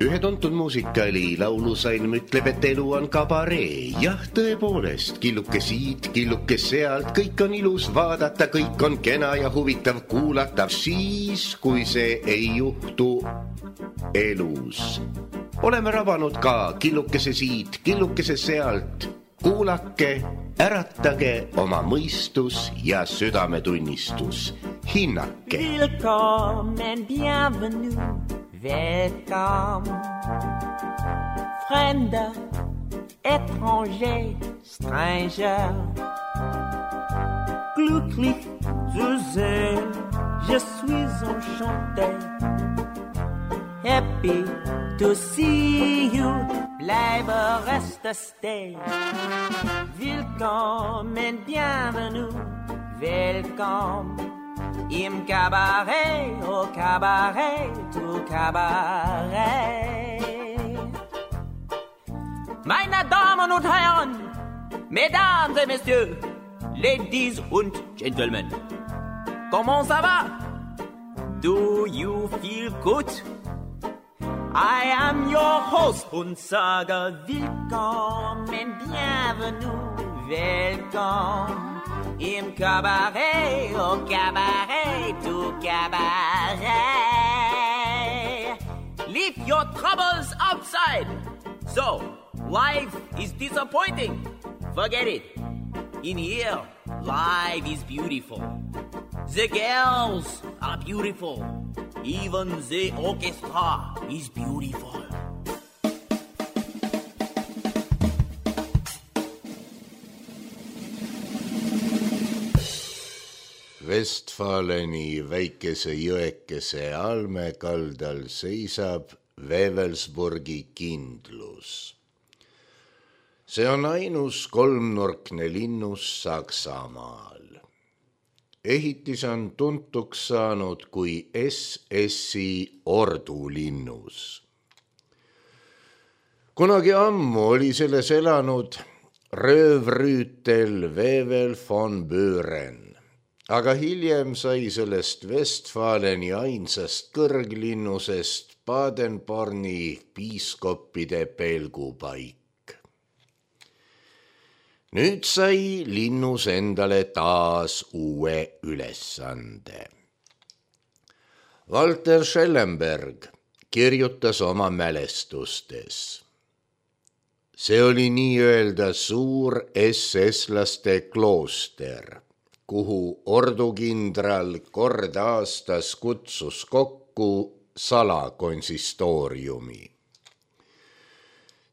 Ühe tuntud muusikali laulusalm ütleb, et elu on kabaree. Jah, tõepoolest, killuke siit, killuke sealt, kõik on ilus vaadata, kõik on kena ja huvitav kuulata. Siis, kui see ei juhtu elus. Oleme rabanud ka killukese siit, killukese sealt. Kuulake, äratage oma mõistus ja südametunnistus. Hinnake. Willkommen, bienvenue, welcome. Fremde, étranger, stranger. Glücklich zu sehen, je suis enchanté. Happy to see you, bleibe reste stay. Willkommen, bienvenue, welcome. Im Cabaret, au Cabaret, tout Cabaret. Meine Damen und Herren, Mesdames et Messieurs, Ladies und Gentlemen, comment ça va? Do you feel good? I am your host und sage willkommen, bienvenue, welcome. Im Cabaret, au Cabaret, tout Cabaret. Leave your troubles outside. So, life is disappointing. Forget it. In here, life is beautiful. The girls are beautiful. Even the orchestra is beautiful. Westfaleni väikese jõekese almekaldal seisab Wewelsburgi kindlus. See on ainus kolmnurkne linnus Saksamaal. Ehitis on tuntuks saanud kui SS-i ordulinnus. Kunagi ammu oli selles elanud röövrüütel Wewel von Büren. Aga hiljem sai sellest Westfaleni ainsast kõrglinnusest Baden-Borni piiskoppide pelgupaik. Nüüd sai linnus endale taas uue ülesande. Walter Schellenberg kirjutas oma mälestustes. See oli nii-öelda suur SS-laste klooster, kuhu ordukindral kord aastas kutsus kokku salakonsistooriumi.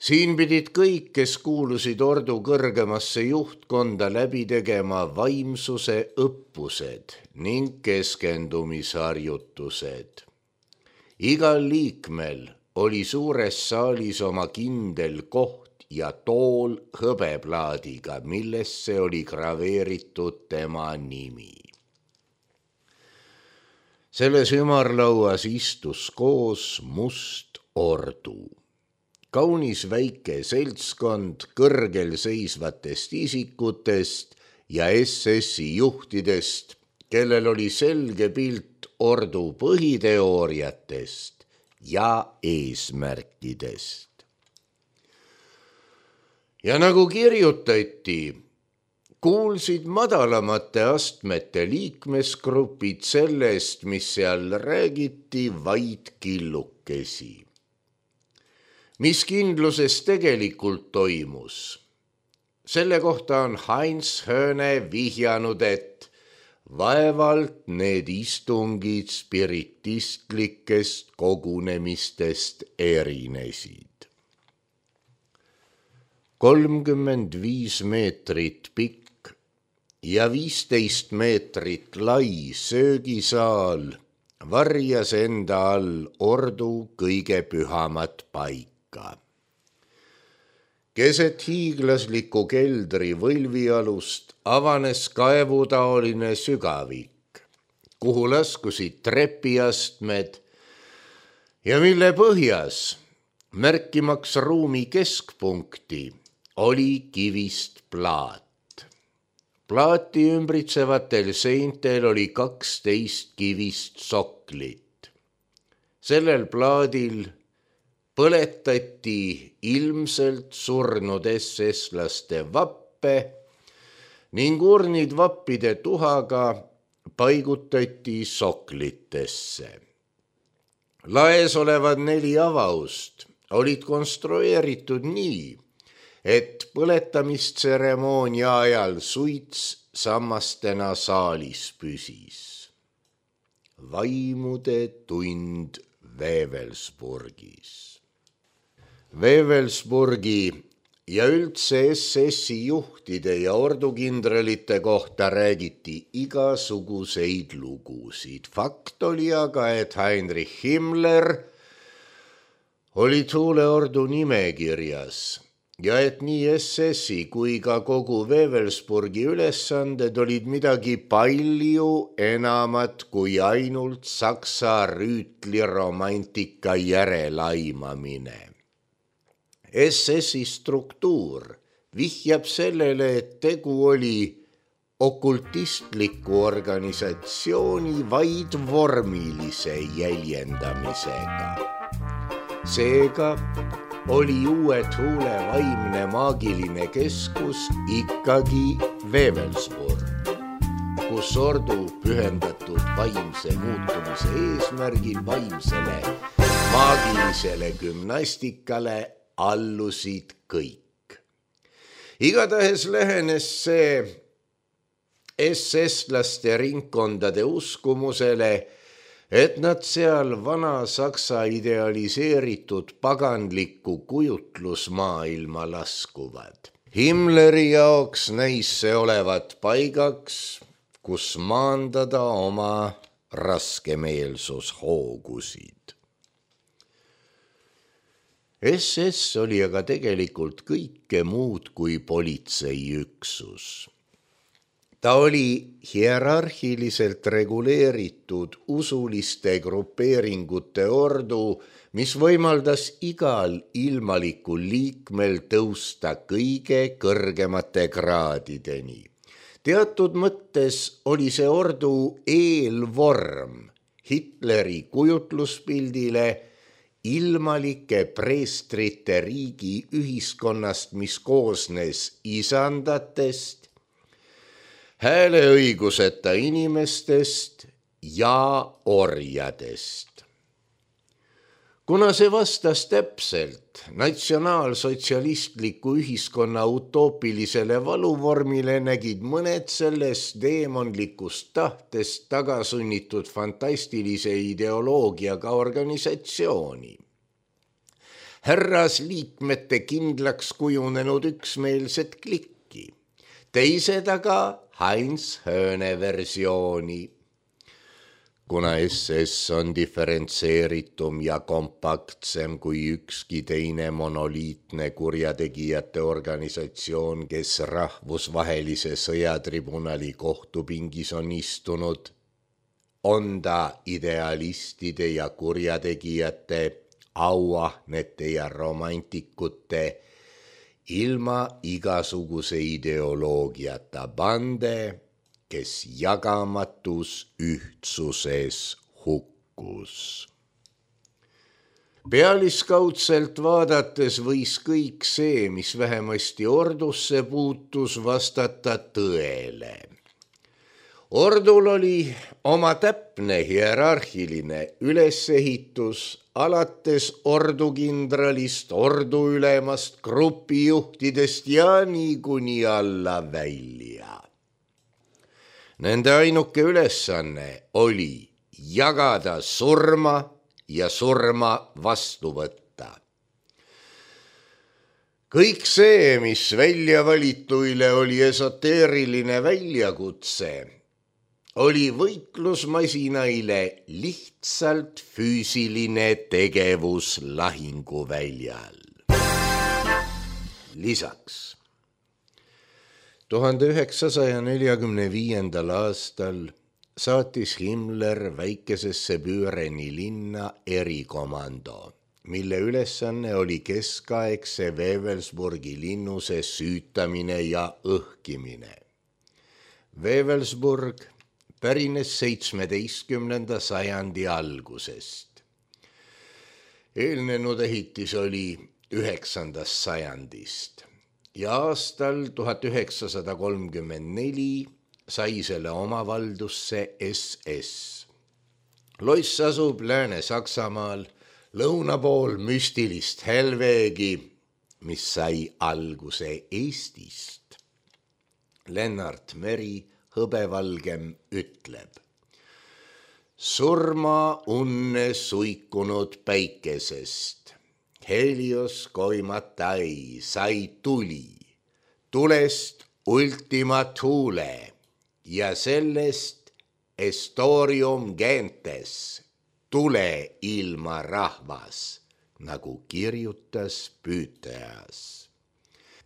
Siin pidid kõik, kes kuulusid ordu kõrgemasse juhtkonda, läbi tegema vaimsuse õppused ning keskendumisharjutused. Igal liikmel oli suures saalis oma kindel koht ja tool hõbeplaadiga, millesse oli graveeritud tema nimi. Selles ümarlauas istus koos must ordu. Kaunis väike seltskond kõrgel seisvatest isikutest ja SS-i juhtidest, kellel oli selge pilt ordu põhiteooriatest ja eesmärkidest. Ja nagu kirjutati, kuulsid madalamate astmete liikmesgrupid sellest, mis seal räägiti, vaid killukesi. Mis kindluses tegelikult toimus? Selle kohta on Heinz Höne vihjanud, et vaevalt need istungid spiritistlikest kogunemistest erinesid. 35 meetrit pikk ja 15 meetrit lai söögisaal varjas enda all ordu kõige pühamat paika. Keset hiiglasliku keldri võlvialust avanes kaevutaoline sügavik, kuhu laskusid trepiastmed ja mille põhjas, märkimaks ruumi keskpunkti, oli kivist plaat. Plaati ümbritsevatel seintel oli 12 kivist soklit. Sellel plaadil põletati ilmselt surnud SS-laste vappe ning urnid vappide tuhaga paigutati soklitesse. Laes olevad 4 avaust olid konstrueeritud nii, et põletamistseremoonia ajal suits sammastena saalis püsis. Vaimude tund Wewelsburgis. Wewelsburgi ja üldse SS-i juhtide ja ordukindralite kohta räägiti igasuguseid lugusid. Fakt oli aga, et Heinrich Himmler oli Thuleordu nimekirjas ja et nii SS-i kui ka kogu Wewelsburgi ülesanded olid midagi palju enamat kui ainult saksa rüütliromantika järelaimamine. SS-i struktuur vihjab sellele, et tegu oli okultistliku organisatsiooni vaid vormilise jäljendamisega. Seega oli uue Thule vaimne maagiline keskus ikkagi Wewelsburg, kus ordu pühendatud vaimse muutumise eesmärgil vaimsele maagilisele gümnastikale allusid kõik. Igatahes lähenes see SS-laste ringkondade uskumusele, et nad seal vana saksa idealiseeritud paganlikku kujutlusmaailma laskuvad. Himmleri jaoks näis see olevat paigaks, kus maandada oma raskemeelsushoogusid. SS oli aga tegelikult kõike muud kui politseiüksus. Ta oli hierarhiliselt reguleeritud usuliste grupeeringute ordu, mis võimaldas igal ilmalikul liikmel tõusta kõige kõrgemate kraadideni. Teatud mõttes oli see ordu eelvorm Hitleri kujutluspildile ilmalike preestrite riigi ühiskonnast, mis koosnes isandatest, hääleõiguseta inimestest ja orjadest. Kuna see vastas täpselt natsionaalsotsialistliku ühiskonna utoopilisele valuvormile, nägid mõned sellest deemonlikust tahtest tagasunnitud fantastilise ideoloogiaga organisatsiooni. Härrasliikmete kindlaks kujunenud üksmeelset klikki, teised aga Heinz Höhne versiooni. Kuna SS on diferentseeritum ja kompaktsem kui ükski teine monoliitne kurjategijate organisatsioon, kes rahvusvahelise sõjatribunali kohtupingis on istunud, on ta idealistide ja kurjategijate, auahnete ja romantikute ilma igasuguse ideoloogiata bande, kes jagamatus ühtsuses hukkus. Pealiskaudselt vaadates võis kõik see, mis vähemasti ordusse puutus, vastata tõele. Ordul oli oma täpne hierarhiline ülesehitus, alates ordukindralist, orduülemast, grupijuhtidest ja niikuni alla välja. Nende ainuke ülesanne oli jagada surma ja surma vastu võtta. Kõik see, mis väljavalituile oli esoteeriline väljakutse, oli võitlusmasinaile lihtsalt füüsiline tegevus lahinguväljal. Lisaks 1945. aastal saatis Himmler väikesesse Büüreni linna erikomando, mille ülesanne oli keskaegse Wewelsburgi linnuse süütamine ja õhkimine. Wewelsburg pärines 17. sajandi algusest. Eelnenud ehitis oli 9. sajandist ja aastal 1934 sai selle omavaldusse SS. Loss asub Lääne-Saksamaal, lõuna pool müstilist Helvegi, mis sai alguse Eestist. Lennart Meri hõbevalgem ütleb: surma unne suikunud päikesest, Helios koimatai sai tuli, tulest ultima thule ja sellest Estorium gentes, tule ilma rahvas, nagu kirjutas Püüteas.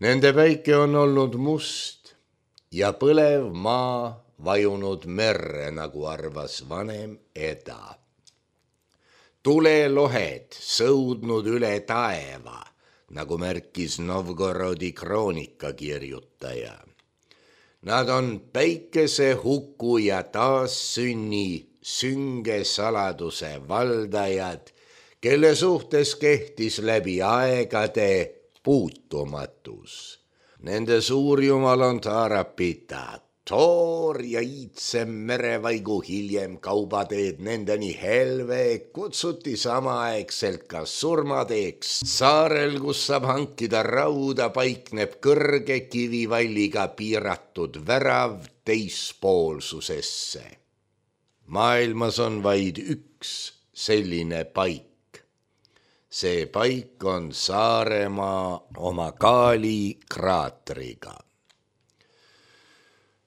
Nende päike on olnud must ja põlev maa vajunud merre, nagu arvas vanem Eda. Tulelohed sõudnud üle taeva, nagu märkis Novgorodi kroonika kirjutaja. Nad on päikese huku ja taassünni sünge saladuse valdajad, kelle suhtes kehtis läbi aegade puutumatus. Nende suurjumal on Taarapita, Toor ja iidsem merevaigu hiljem kaubateed nendeni Helve kutsuti samaaegselt ka surmateeks. Saarel, kus saab hankida rauda, paikneb kõrge kivivalliga piiratud värav teispoolsusesse. Maailmas on vaid üks selline paik. See paik on Saaremaa oma Kaali kraatriga.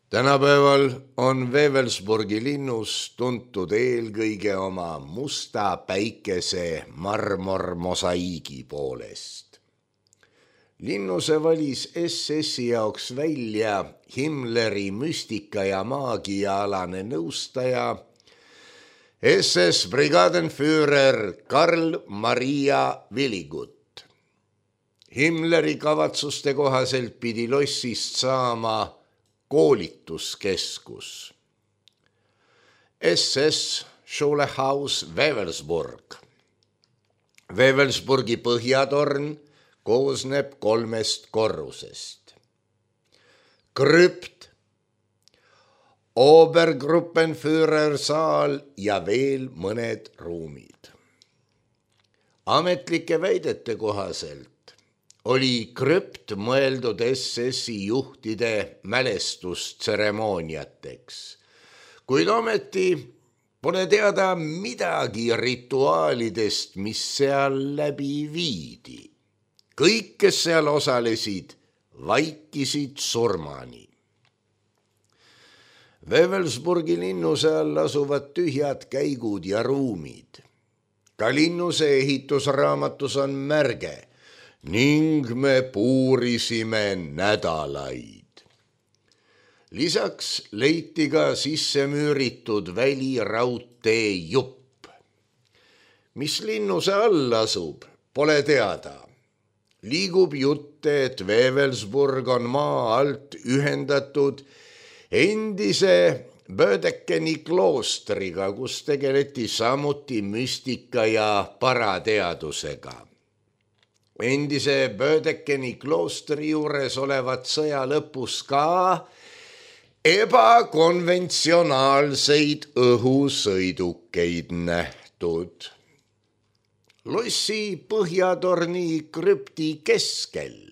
Tänapäeval on Wewelsburgi linnus tuntud eelkõige oma musta päikese marmormosaiigi poolest. Linnuse valis SS-i jaoks välja Himmleri müstika- ja maagiaalane nõustaja SS-brigadenführer Karl Maria Willigut. Himmleri kavatsuste kohaselt pidi lossist saama koolituskeskus. SS Schulehaus Wewelsburg. Wewelsburgi põhjatorn koosneb 3 korrusest. Krüpt, Obergruppenführersaal ja veel mõned ruumid. Ametlike väidete kohaselt oli krüpt mõeldud SS-i juhtide mälestustseremooniateks, kuid ometi pole teada midagi rituaalidest, mis seal läbi viidi. Kõik, kes seal osalesid, vaikisid surmani. Wewelsburgi linnuse all asuvad tühjad käigud ja ruumid. Ka linnuse ehitusraamatus on märge: ning me puurisime nädalaid. Lisaks leiti ka sisse müüritud väliraudtee jupp. Mis linnuse all asub, pole teada. Liigub jutte, et Wewelsburg on maa alt ühendatud endise Bödekeni kloostriga, kus tegeleti samuti müstika ja parateadusega. Endise Bödekeni kloostri juures olevat sõja lõpus ka ebakonventsionaalseid õhusõidukeid nähtud. Lossi põhjatorni krüpti keskel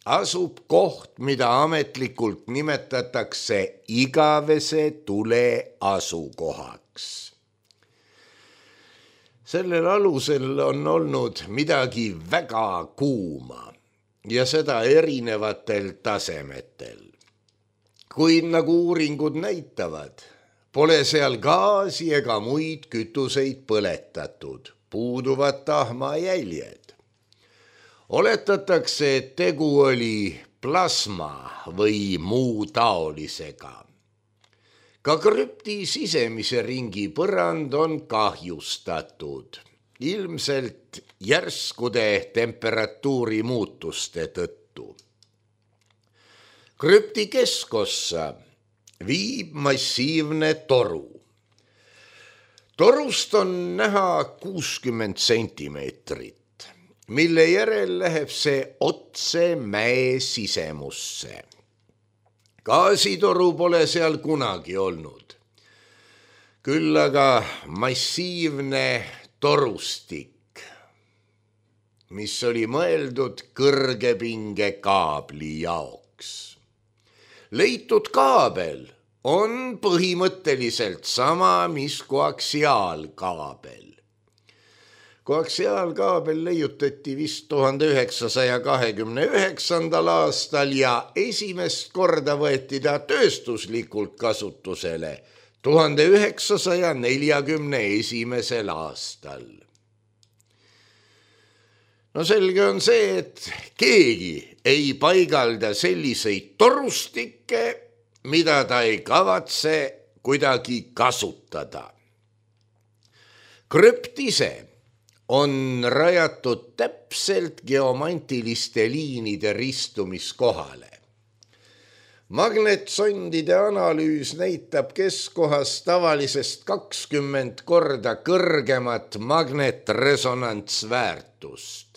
asub koht, mida ametlikult nimetatakse igavese tule asukohaks. Sellel alusel on olnud midagi väga kuuma ja seda erinevatel tasemetel. Kuid nagu uuringud näitavad, pole seal gaasi ega muid kütuseid põletatud, puuduvad tahmajäljed. Oletatakse, et tegu oli plasma või muu taolisega. Ka krüpti sisemise ringi põrand on kahjustatud, ilmselt järskude temperatuuri muutuste tõttu. Krüpti keskossa viib massiivne toru. Torust on näha 60 sentimeetrit, mille järel läheb see otse mäe sisemusse. Gaasitoru pole seal kunagi olnud. Küll aga massiivne torustik, mis oli mõeldud kõrgepinge kaabli jaoks. Leitud kaabel on põhimõtteliselt sama, mis koaksiaalkaabel. Koaksiaalkaabel leiutati vist 1929. aastal ja esimest korda võeti ta tööstuslikult kasutusele 1941. aastal. No selge on see, et keegi ei paigalda selliseid torustikke, mida ta ei kavatse kuidagi kasutada. Krüpt ise on rajatud täpselt geomantiliste liinide ristumiskohale. Magnetsondide analüüs näitab keskkohas tavalisest 20 korda kõrgemat magnetresonantsväärtust.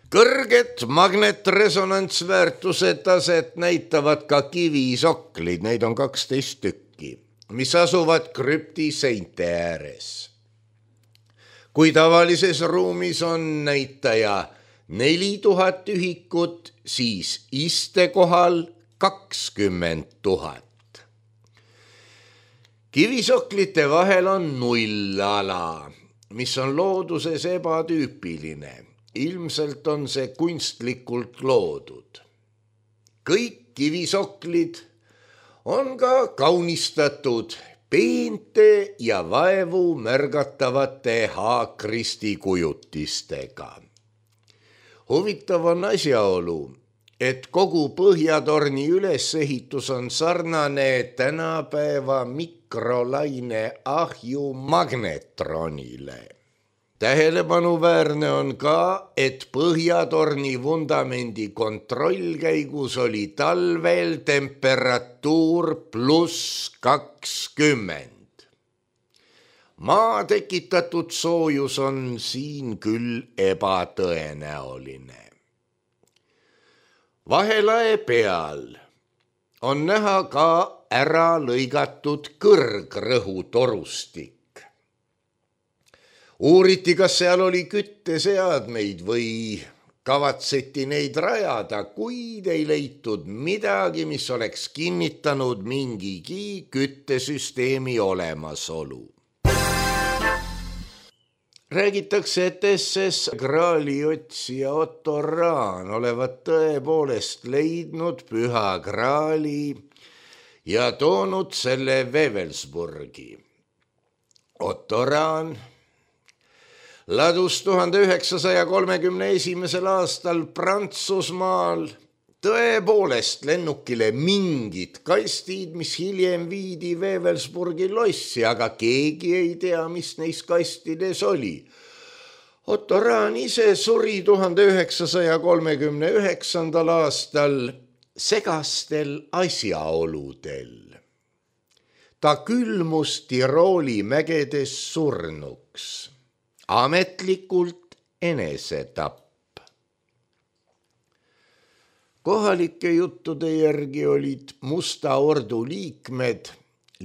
Kõrget magnetresonantsväärtuse taset näitavad ka kivisoklid, neid on 12 tükki, mis asuvad krüpti seinte ääres. Kui tavalises ruumis on näitaja 4000 ühikut, siis istekohal 20 000. Kivisoklite vahel on nullala, mis on looduses ebatüüpiline. Ilmselt on see kunstlikult loodud. Kõik kivisoklid on ka kaunistatud peente ja vaevu märgatavate haakristi kujutistega. Huvitav on asjaolu, et kogu Põhjatorni ülesehitus on sarnane tänapäeva mikrolaine ahju magnetronile. Tähelepanuväärne on ka, et Põhjatorni vundamendi kontrollkäigus oli talvel temperatuur +20. Maa tekitatud soojus on siin küll ebatõenäoline. Vahelae peal on näha ka ära lõigatud kõrgrõhutorustik. Uuriti, kas seal oli kütteseadmeid või kavatseti neid rajada, kuid ei leitud midagi, mis oleks kinnitanud mingigi küttesüsteemi olemasolu. Räägitakse, et SS Graali otsija Otto Rahn olevat tõepoolest leidnud Püha Graali ja toonud selle Wewelsburgi. Otto Rahn ladus 1931. aastal Prantsusmaal tõepoolest lennukile mingid kastid, mis hiljem viidi Wewelsburgi lossi, aga keegi ei tea, mis neis kastides oli. Otto Rahn ise suri 1939. aastal segastel asjaoludel. Ta külmus Tirooli mägedes surnuks. Ametlikult enesetapp. Kohalike juttude järgi olid Musta Ordu liikmed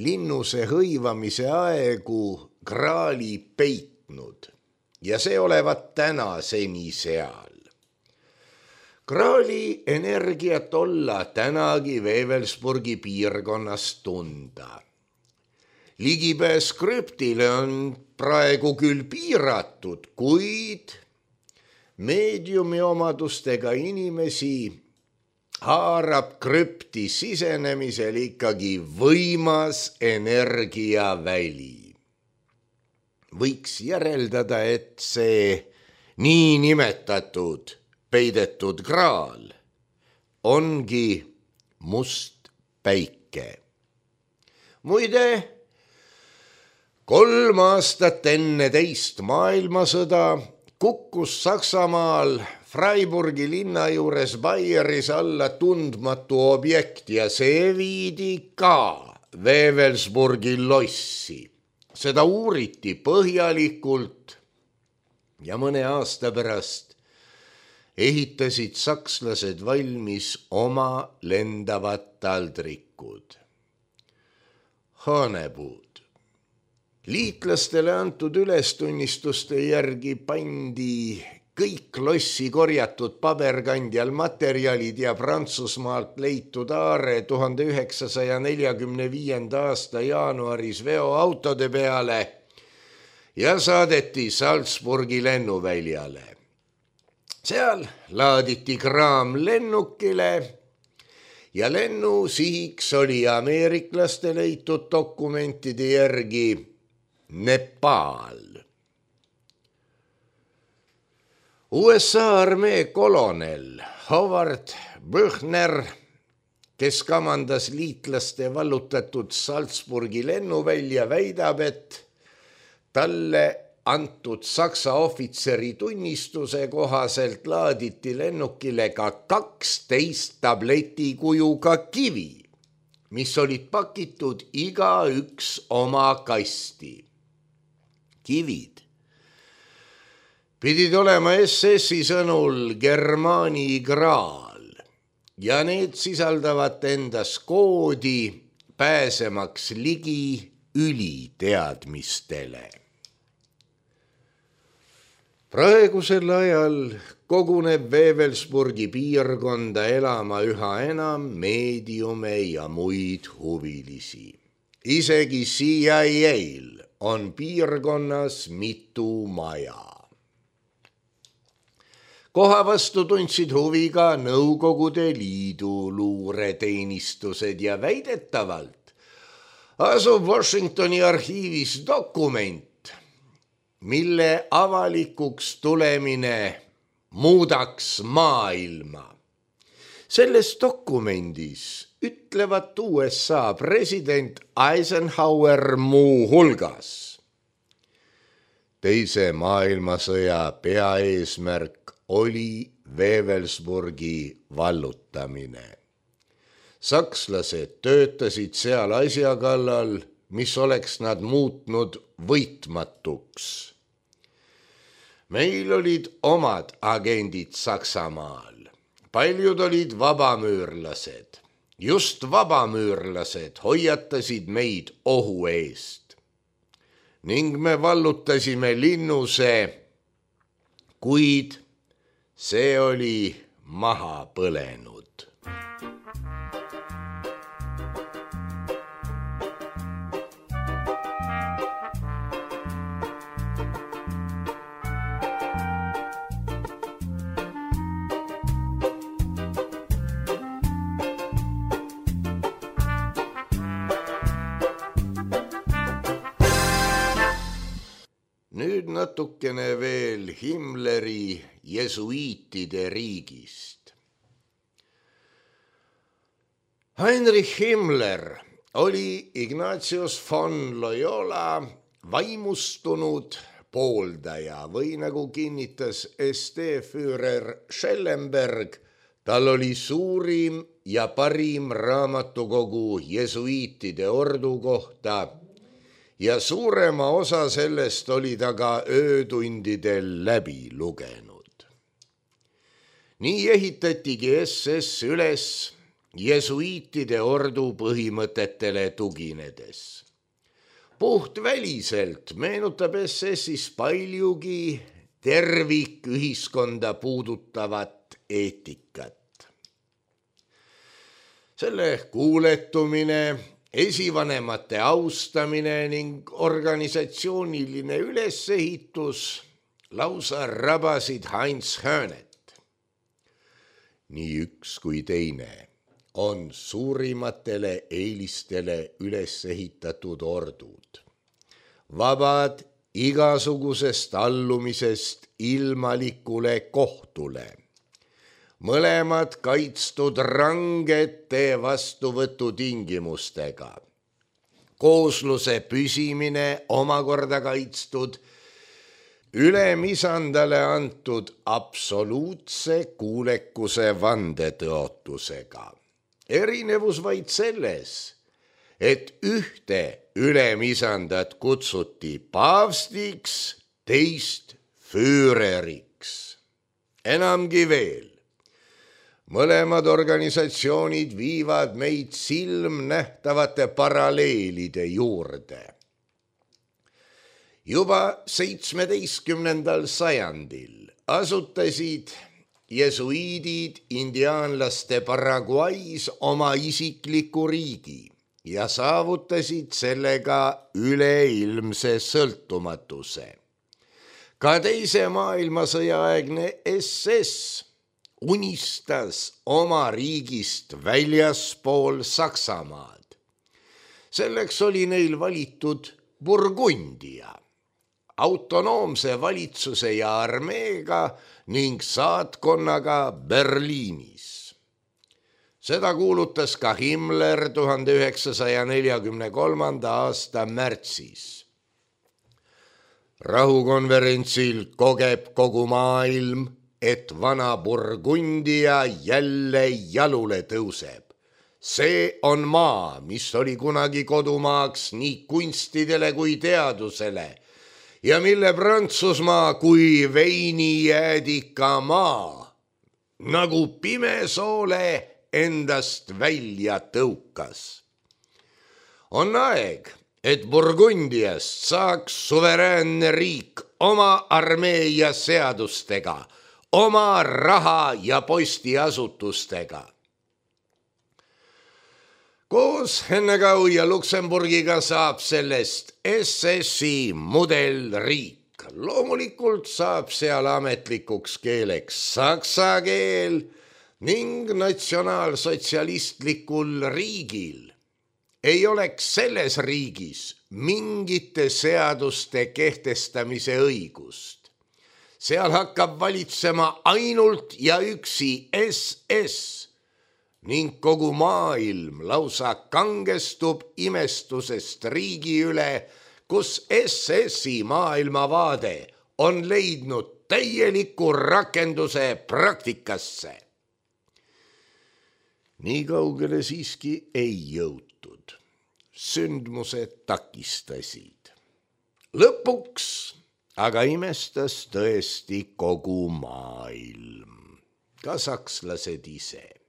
linnuse hõivamise aegu Graali peitnud ja see olevat tänaseni seal. Graali energiat olla tänagi Wewelsburgi piirkonnas tunda. Ligipääs krüptile on praegu küll piiratud, kuid meediumi omadustega inimesi haarab krüpti sisenemisel ikkagi võimas energiaväli. Võiks järeldada, et see niinimetatud peidetud graal ongi must päike. Muide, 3 aastat enne teist maailmasõda kukkus Saksamaal Freiburgi linna juures Baieris alla tundmatu objekt ja see viidi ka Wewelsburgi lossi. seda uuriti põhjalikult ja mõne aasta pärast ehitasid sakslased valmis oma lendavad taldrikud, haanepuud. Liitlastele antud ülestunnistuste järgi pandi kõik lossi korjatud paberkandjal materjalid ja Prantsusmaalt leitud aare 1945. aasta jaanuaris veoautode peale ja saadeti Salzburgi lennuväljale. Seal laaditi kraam lennukile ja lennu sihiks oli ameeriklaste leitud dokumentide järgi Nepal. USA armee kolonel Howard Buchner, kes kamandas liitlaste vallutatud Salzburgi lennuvälja, väidab, et talle antud Saksa ohvitseri tunnistuse kohaselt laaditi lennukile ka 12 tabletikujuga kivi, mis olid pakitud igaüks oma kasti. Kivid pidid olema SS-i sõnul Germaani graal ja need sisaldavad endas koodi pääsemaks ligi üliteadmistele. Praegusel ajal koguneb Wewelsburgi piirkonda elama üha enam meediume ja muid huvilisi. Isegi CIA-l on piirkonnas mitu maja. Koha vastu tundsid huvi ka Nõukogude Liidu luureteenistused ja väidetavalt asub Washingtoni arhiivis dokument, mille avalikuks tulemine muudaks maailma. Selles dokumendis ütlevad USA president Eisenhower muu hulgas: Teise maailmasõja peaeesmärk oli Wewelsburgi vallutamine. Sakslased töötasid seal asja kallal, mis oleks nad muutnud võitmatuks. Meil olid omad agendid Saksamaal. Paljud olid vabamüürlased. Just vabamüürlased hoiatasid meid ohu eest. Ning me vallutasime linnuse, kuid see oli maha põlenud. Nüüd natukene veel Himmleri jesuiitide riigist. Heinrich Himmler oli Ignatius von Loyola vaimustunud pooldaja või nagu kinnitas SD-Führer Schellenberg, tal oli suurim ja parim raamatukogu jesuiitide ordu kohta ja suurema osa sellest oli ta ka öötundidel läbi lugenud. Nii ehitatigi SS üles jesuiitide ordu põhimõtetele tuginedes. Puhtväliselt meenutab SS-is paljugi tervikühiskonda puudutavat eetikat. Selle kuuletumine, esivanemate austamine ning organisatsiooniline ülesehitus lausa rabasid Heinz Hönet. Nii üks kui teine on suurimatele eelistele üles ehitatud ordud. Vabad igasugusest allumisest ilmalikule kohtule. Mõlemad kaitstud rangete vastuvõtu tingimustega. Koosluse püsimine omakorda kaitstud ülemisandale antud absoluutse kuulekuse vandetõotusega. Erinevus vaid selles, et ühte ülemisandat kutsuti paavstiks, teist füüreriks. Enamgi veel, mõlemad organisatsioonid viivad meid silmnähtavate paralleelide juurde. Juba 17. sajandil asutasid jesuiidid indiaanlaste Paraguay's oma isikliku riigi ja saavutasid sellega üleilmse sõltumatuse. Ka teise maailmasõja aegne SS unistas oma riigist väljaspool Saksamaad. Selleks oli neil valitud Burgundia, autonoomse valitsuse ja armeega ning saatkonnaga Berliinis. Seda kuulutas ka Himmler 1943. aasta märtsis. Rahukonverentsil kogeb kogu maailm, et vana Burgundia jälle jalule tõuseb. See on maa, mis oli kunagi kodumaaks nii kunstidele kui teadusele ja mille Prantsusmaa kui veinijäädika maa nagu pimesoole endast välja tõukas. On aeg, et Burgundiast saaks suveräänne riik oma armee ja seadustega, oma raha ja postiasutustega. Koos Hennegau ja Luksemburgiga saab sellest SS-i mudelriik. Loomulikult saab seal ametlikuks keeleks saksa keel ning natsionaalsotsialistlikul riigil ei oleks selles riigis mingite seaduste kehtestamise õigust. Seal hakkab valitsema ainult ja üksi SS ning kogu maailm lausa kangestub imestusest riigi üle, kus SS-i maailmavaade on leidnud täieliku rakenduse praktikasse. Nii kaugele siiski ei jõutud. Sündmused takistasid. Lõpuks aga imestas tõesti kogu maailm, ka sakslased ise.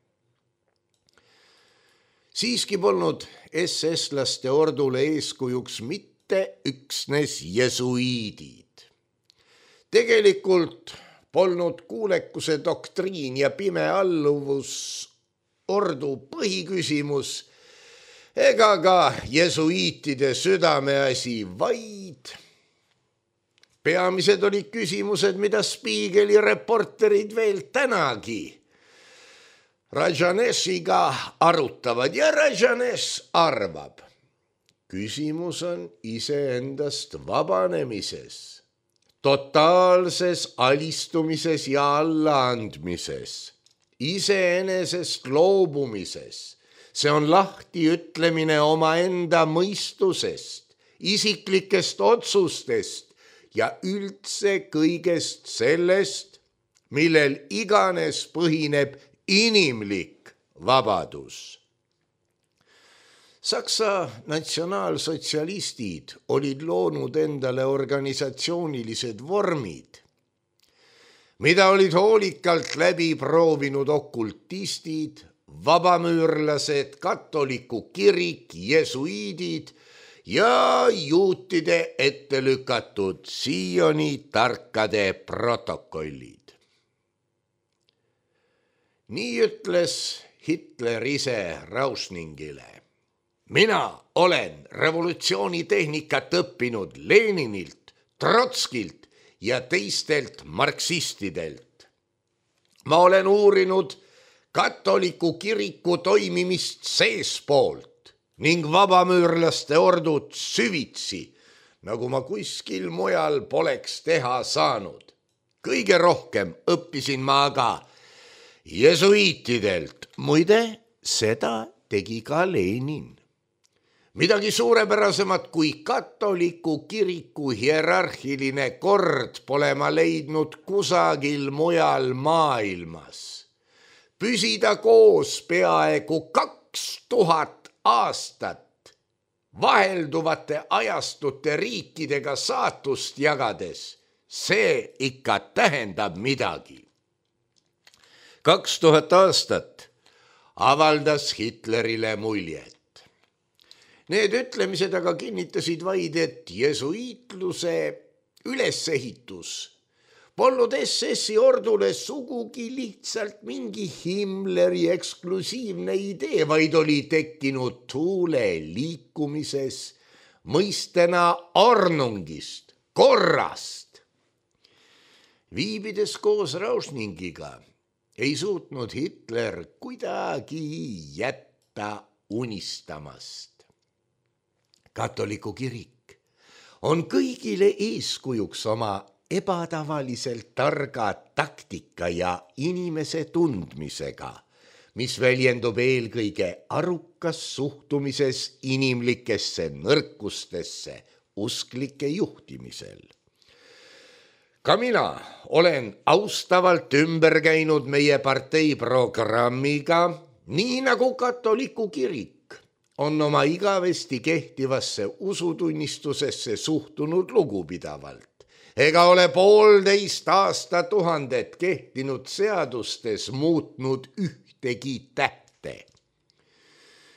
Siiski polnud SS-laste ordule eeskujuks mitte üksnes jesuiidid. Tegelikult polnud kuulekuse doktriin ja pime alluvus ordu põhiküsimus ega ka jesuiitide südameasi, vaid peamised olid küsimused, mida Spiegeli reporterid veel tänagi Rajanesiga arutavad ja Rajanes arvab. Küsimus on iseendast vabanemises, totaalses alistumises ja allaandmises, iseenesest loobumises. See on lahti ütlemine omaenda mõistusest, isiklikest otsustest ja üldse kõigest sellest, millel iganes põhineb inimlik vabadus. Saksa natsionaalsotsialistid olid loonud endale organisatsioonilised vormid, mida olid hoolikalt läbi proovinud okultistid, vabamüürlased, katoliku kirik, jesuiidid ja juutide ette lükatud siiani tarkade protokollid. Nii ütles Hitler ise Rausningile. Mina olen revolutsioonitehnikat õppinud Leninilt, Trotskilt ja teistelt marksistidelt. Ma olen uurinud katoliku kiriku toimimist seespoolt ning vabamüürlaste ordud süvitsi, nagu ma kuskil mujal poleks teha saanud. Kõige rohkem õppisin ma aga jesuiitidelt. Muide, seda tegi ka Lenin. Midagi suurepärasemat kui katoliku kiriku hierarhiline kord pole ma leidnud kusagil mujal maailmas. Püsida koos peaaegu 2000 aastat vahelduvate ajastute riikidega saatust jagades, see ikka tähendab midagi. 2000 aastat avaldas Hitlerile muljet. Need ütlemised aga kinnitasid vaid, et jesuiitluse ülesehitus polnud SS-i ordule sugugi lihtsalt mingi Himmleri eksklusiivne idee, vaid oli tekkinud tuule liikumises mõistena ornungist, korrast. Viibides koos Rauschningiga ei suutnud Hitler kuidagi jätta unistamast. Katoliku kirik on kõigile eeskujuks oma ebatavaliselt targa taktika ja inimese tundmisega, mis väljendub eelkõige arukas suhtumises inimlikesse nõrkustesse usklike juhtimisel. Ka mina olen austavalt ümber käinud meie partei programmiga, nii nagu katoliku kirik on oma igavesti kehtivasse usutunnistusesse suhtunud lugupidavalt. Ega ole 1,5 aastatuhandet kehtinud seadustes muutnud ühtegi tähte.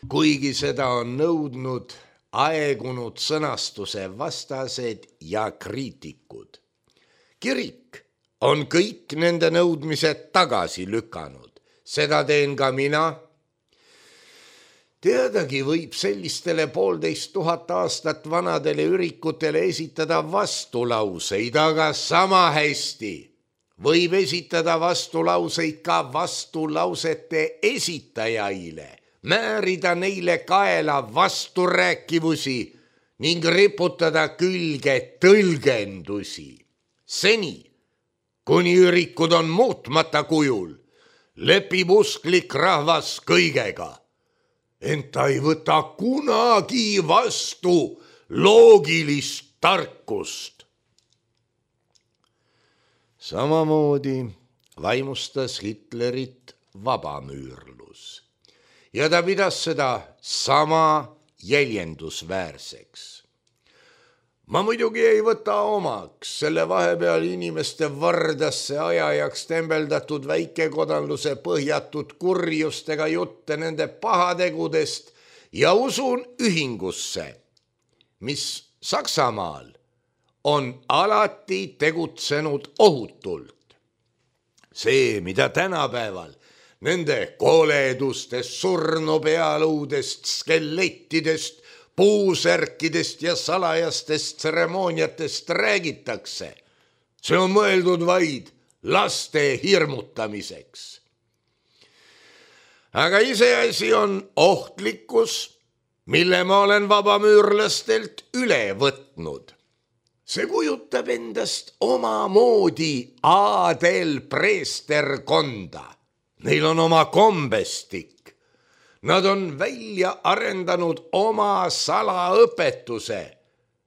Kuigi seda on nõudnud aegunud sõnastuse vastased ja kriitikud. Kirik on kõik nende nõudmised tagasi lükanud. Seda teen ka mina. Teadagi võib sellistele 1,5 aastat vanadele ürikutele esitada vastulauseid, aga sama hästi võib esitada vastulauseid ka vastulausete esitajaile, määrida neile kaela vasturääkivusi ning riputada külge tõlgendusi. Seni, kuni ürikud on muutmata kujul, lepib usklik rahvas kõigega. Ent ta ei võta kunagi vastu loogilist tarkust. Samamoodi vaimustas Hitlerit vabamüürlus ja ta pidas seda sama jäljendusväärseks. Ma muidugi ei võta omaks selle vahepeal inimeste vardasse ajajaks tembeldatud väikekodanluse põhjatud kurjustega jutte nende pahategudest ja usun ühingusse, mis Saksamaal on alati tegutsenud ohutult. See, mida tänapäeval nende koledustest, surnupealuudest, skelettidest, puusärkidest ja salajastest tseremooniatest räägitakse. See on mõeldud vaid laste hirmutamiseks. Aga iseasi on ohtlikkus, mille ma olen vabamüürlastelt üle võtnud. See kujutab endast omamoodi aadelpreesterkonda. Neil on oma kombestik. Nad on välja arendanud oma salaõpetuse,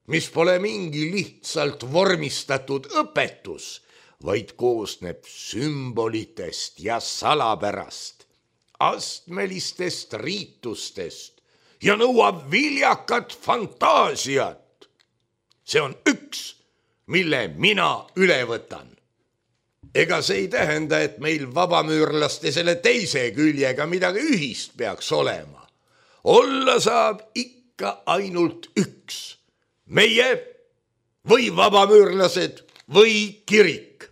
mis pole mingi lihtsalt vormistatud õpetus, vaid koosneb sümbolitest ja salapärast, astmelistest riitustest ja nõuab viljakat fantaasiat. See on üks, mille mina üle võtan. Ega see ei tähenda, et meil vabamüürlaste selle teise küljega midagi ühist peaks olema. Olla saab ikka ainult üks. Meie või vabamüürlased või kirik.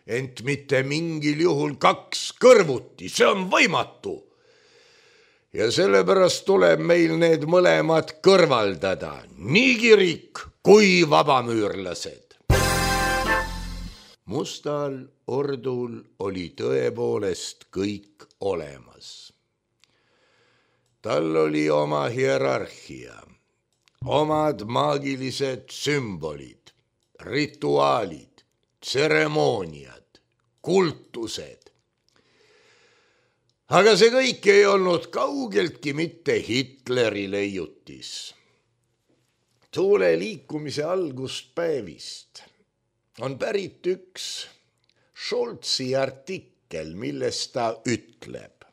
Ent mitte mingil juhul 2 kõrvuti, see on võimatu. Ja sellepärast tuleb meil need mõlemad kõrvaldada, nii kirik kui vabamüürlased. Mustal ordul oli tõepoolest kõik olemas. Tal oli oma hierarhia, omad maagilised sümbolid, rituaalid, tseremooniad, kultused. Aga see kõik ei olnud kaugeltki mitte Hitleri leiutis. Tuule liikumise alguspäevist on pärit üks Scholzi artikkel, milles ta ütleb,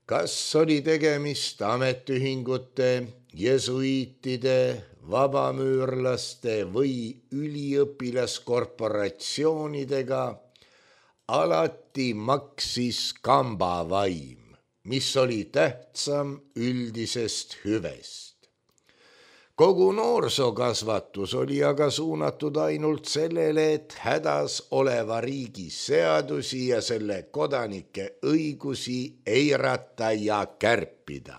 kas oli tegemist ametiühingute jesuiitide, vabamüürlaste või üliõpilaskorporatsioonidega alati maksis kambavaim, mis oli tähtsam üldisest hüvest. Kogu noorsookasvatus oli aga suunatud ainult sellele, et hädas oleva riigi seadusi ja selle kodanike õigusi eirata ja kärpida.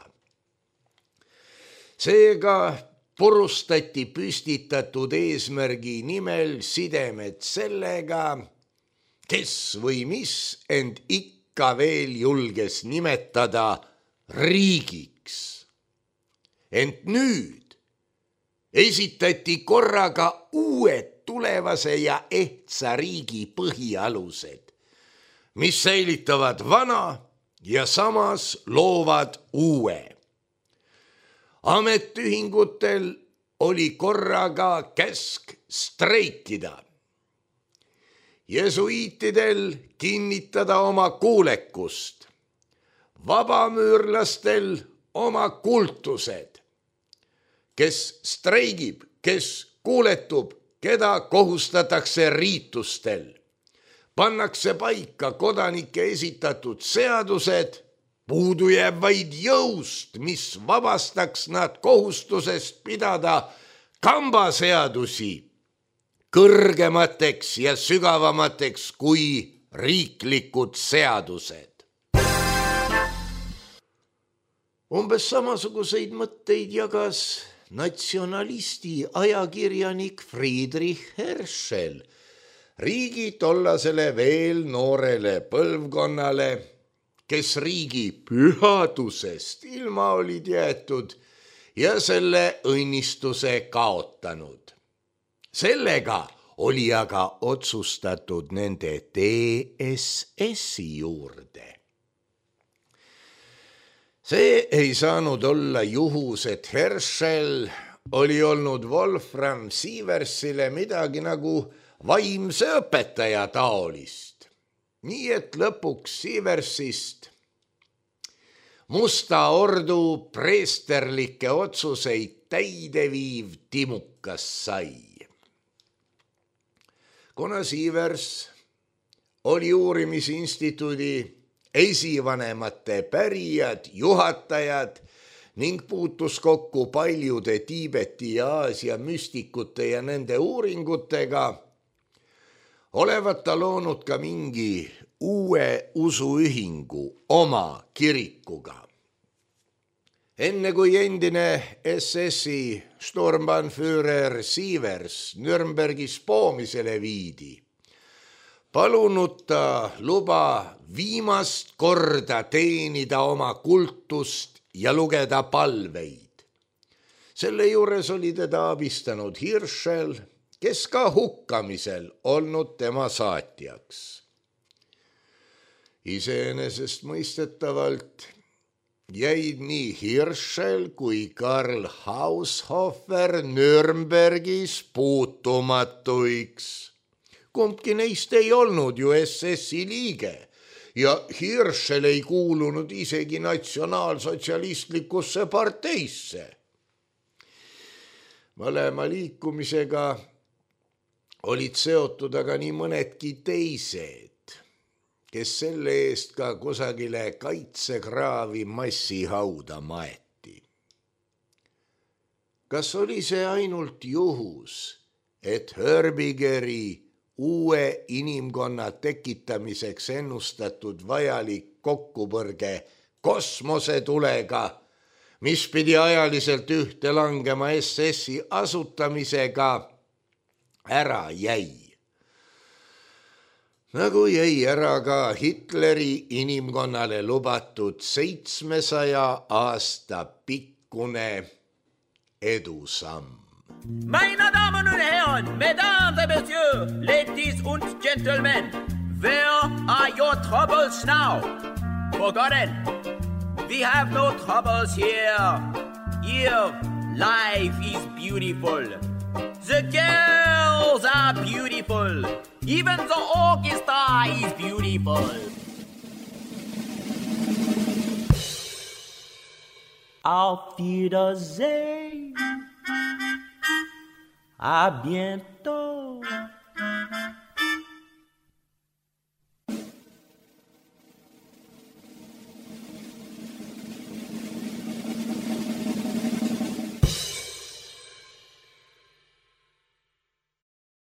Seega purustati püstitatud eesmärgi nimel sidemed sellega, kes või mis end ikka veel julges nimetada riigiks. Ent nüüd esitati korraga uued tulevase ja ehtsa riigi põhialused, mis säilitavad vana ja samas loovad uue. Ametiühingutel oli korraga käsk streikida, jesuiitidel kinnitada oma kuulekust, vabamüürlastel oma kultused. Kes streigib, kes kuuletub, keda kohustatakse riitustel. Pannakse paika kodanike esitatud seadused, puudu jääb vaid jõust, mis vabastaks nad kohustusest pidada kambaseadusi kõrgemateks ja sügavamateks kui riiklikud seadused. Umbes samasuguseid mõtteid jagas natsionalisti ajakirjanik Friedrich Herschel riigi tollasele veel noorele põlvkonnale, kes riigi pühadusest ilma olid jäetud ja selle õnnistuse kaotanud. Sellega oli aga otsustatud nende TSS-i juurde. See ei saanud olla juhus, et Herschel oli olnud Wolfram Sieversile midagi nagu vaimse õpetaja taolist. Nii et lõpuks Sieversist Musta Ordu preesterlikke otsuseid täideviiv timukas sai. Kuna Sievers oli uurimisinstituudi esivanemate pärijad, juhatajad ning puutus kokku paljude Tiibeti ja Aasia müstikute ja nende uuringutega, olevat ta loonud ka mingi uue usuühingu oma kirikuga. Enne kui endine SS-i Sturmbannführer Sievers Nürnbergis poomisele viidi, palunud ta luba viimast korda teenida oma kultust ja lugeda palveid. Selle juures oli teda abistanud Hirschel, kes ka hukkamisel olnud tema saatjaks. Iseenesest mõistetavalt jäid nii Hirschel kui Karl Haushofer Nürnbergis puutumatuiks. Kumbki neist ei olnud ju SS-i liige ja Hirschel ei kuulunud isegi natsionaalsotsialistlikusse parteisse. Mõlema liikumisega olid seotud aga nii mõnedki teised, kes selle eest ka kusagile kaitsekraavi massihauda maeti. Kas oli see ainult juhus, et Hörbigeri uue inimkonna tekitamiseks ennustatud vajalik kokkupõrge kosmosetulega, mis pidi ajaliselt ühte langema SS-i asutamisega, ära jäi? Nagu jäi ära ka Hitleri inimkonnale lubatud 700 aasta pikkune edusamm. Meine Damen und Herren, Mesdames et Messieurs, Ladies und Gentlemen, where are your troubles now? Forgotten, we have no troubles here. Here, life is beautiful. The girls are beautiful. Even the orchestra is beautiful. Auf Wiedersehen. À bientôt.